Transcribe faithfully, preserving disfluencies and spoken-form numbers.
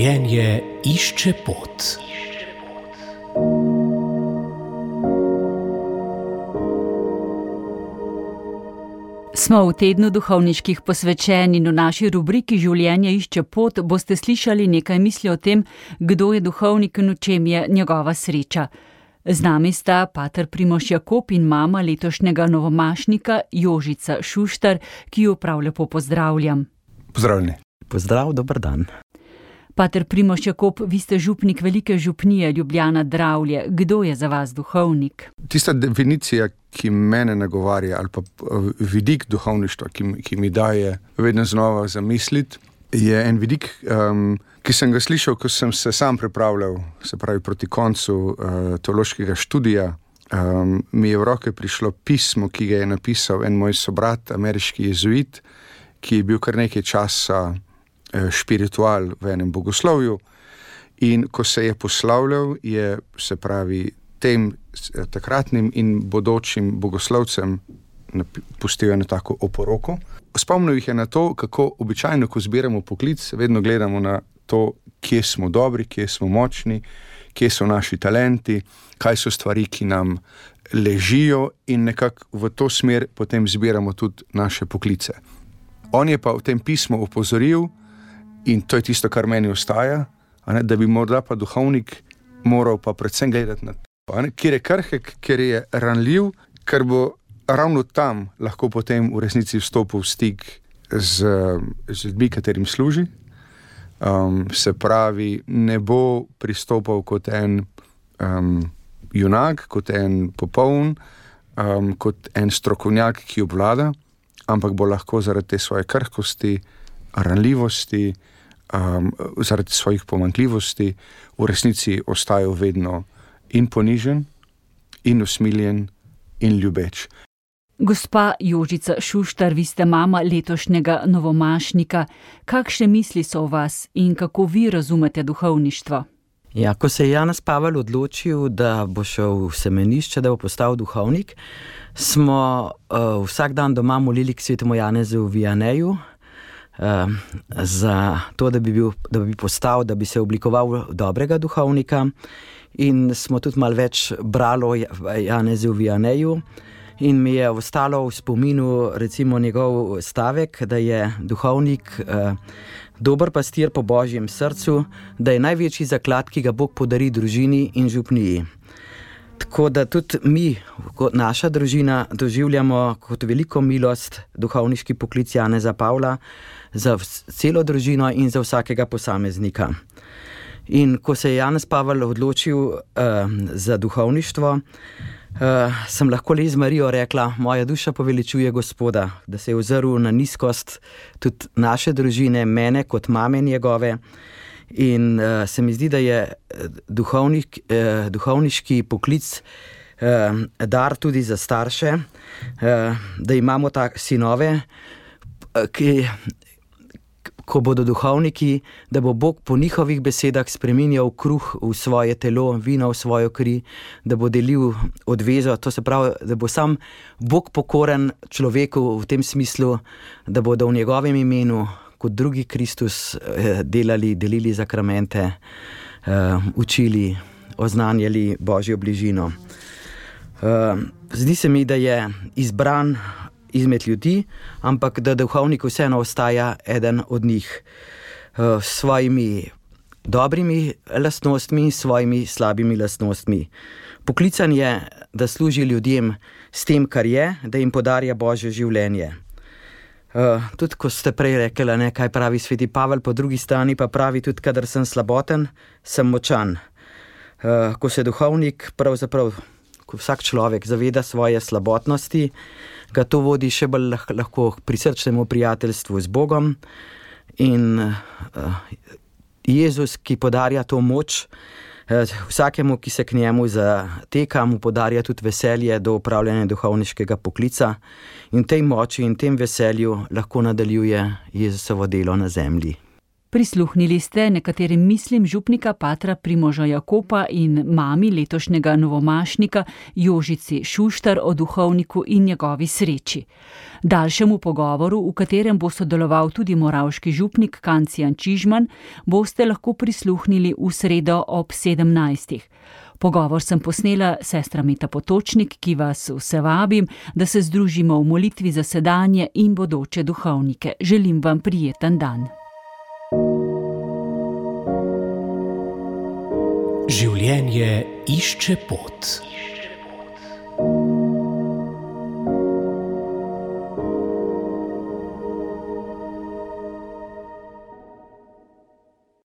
Življenje išče pot. Smo v tednu duhovniških posvečenj in v naši rubriki Življenje išče pot boste slišali nekaj misli o tem, kdo je duhovnik in v čem je njegova sreča. Z nami sta pater Primož Jakob in mama letošnjega novomašnika Jožica Šuštar, ki jo prav lepo pozdravljam. Pozdravljeni. Pozdrav, dober dan. Pater Primož Jakob, vi ste župnik velike župnije Ljubljana Dravlje. Kdo je za vas duhovnik? Tista definicija, ki mene nagovarja, ali pa vidik duhovništva, ki, ki mi daje vedno znova zamisliti, je en vidik, um, ki sem ga slišal, ko sem se sam pripravljal, se pravi proti koncu uh, teološkega študija. Um, mi je v roke prišlo pismo, ki ga je napisal en moj sobrat, ameriški jezuit, ki je bil kar nekaj časa uh, špiritual v enem bogoslovju. In ko se je poslavljal, je, se pravi, tem takratnim in bodočim bogoslovcem pustil eno tako oporoko. Spomnil jih je na to, kako običajno, ko zbiramo poklic, vedno gledamo na to, kje smo dobri, kje smo močni, kje so naši talenti, kaj so stvari, ki nam ležijo, in nekako v to smer potem zbiramo tudi naše poklice. On je pa v tem pismu opozoril, in to je tisto, kar meni ostaja, ne, da bi morda pa duhovnik moral pa predvsem gledati na to, kjer je krhek, kjer je ranljiv, ker bo ravno tam lahko potem v resnici vstopil v stik z, z ljudmi, katerim služi. Um, se pravi, ne bo pristopal kot en um, junak, kot en popoln, um, kot en strokovnjak, ki obvlada, ampak bo lahko zaradi te svoje krhkosti, ranljivosti, um, zaradi svojih pomanjkljivosti v resnici ostajal vedno in ponižen, in usmiljen, in ljubeč. Gospa Jožica Šuštar, vi ste mama letošnjega novomašnika. Kakšne misli so v vas in kako vi razumete duhovništvo? Ja, ko se je Janez Pavel odločil, da bo šel v semenišče, da bo postal duhovnik, smo uh, vsak dan doma molili k svetemu Janezu v Vianeju, uh, za to, da bi, bil, da bi postal, da bi se oblikoval dobrega duhovnika. In smo tudi malo več bralo Janezu v Vianeju in mi je ostalo v spominu recimo njegov stavek, da je duhovnik eh, dober pastir po Božjem srcu, da je največji zaklad, ki ga Bog podari družini in župniji. Tako da tudi mi, kot naša družina, doživljamo kot veliko milost duhovniški poklic Janeza Pavla za celo družino in za vsakega posameznika. In ko se je Janez Pavel odločil uh, za duhovništvo, uh, sem lahko le z Marijo rekla, moja duša poveličuje Gospoda, da se je ozrl na nizkost tudi naše družine, mene kot mame njegove. In uh, se mi zdi, da je duhovnik, uh, duhovniški poklic uh, dar tudi za starše, uh, da imamo tak sinove, uh, ki... ko bodo duhovniki, da bo Bog po njihovih besedah spreminjal kruh v svoje telo, vino v svojo kri, da bo delil odvezo, to se pravi, da bo sam Bog pokoren človeku v tem smislu, da bodo v njegovem imenu, kot drugi Kristus, delali, delili zakramente, učili, oznanjali Božjo bližino. Zdi se mi, da je izbran izmed ljudi, ampak da duhovnik vseeno ostaja eden od njih s svojimi dobrimi lastnostmi in svojimi slabimi lastnostmi. Poklican je, da služi ljudem s tem, kar je, da jim podarja Božje življenje. Tudi ko ste prej rekli, ne, kaj pravi sveti Pavel, po drugi strani pa pravi tudi, kadar sem slaboten, sem močan. Ko se duhovnik pravzaprav, ko vsak človek zaveda svoje slabotnosti, ga to vodi še bolj lahko k prisrčnemu prijateljstvu z Bogom. In uh, Jezus, ki podarja to moč, uh, vsakemu, ki se k njemu zateka, mu podarja tudi veselje do upravljanja duhovniškega poklica. In tej moči in tem veselju lahko nadaljuje Jezusovo delo na zemlji. Prisluhnili ste nekaterim mislim župnika patra Primoža Jakopa in mami letošnjega novomašnika Jožici Šuštar o duhovniku in njegovi sreči. Daljšemu pogovoru, v katerem bo sodeloval tudi moravški župnik Kancijan Čižman, boste lahko prisluhnili v sredo ob sedemnajstih. Pogovor sem posnela sestra Meta Potočnik, ki vas vse vabim, da se združimo v molitvi za sedanje in bodoče duhovnike. Želim vam prijeten dan. Življenje išče pot.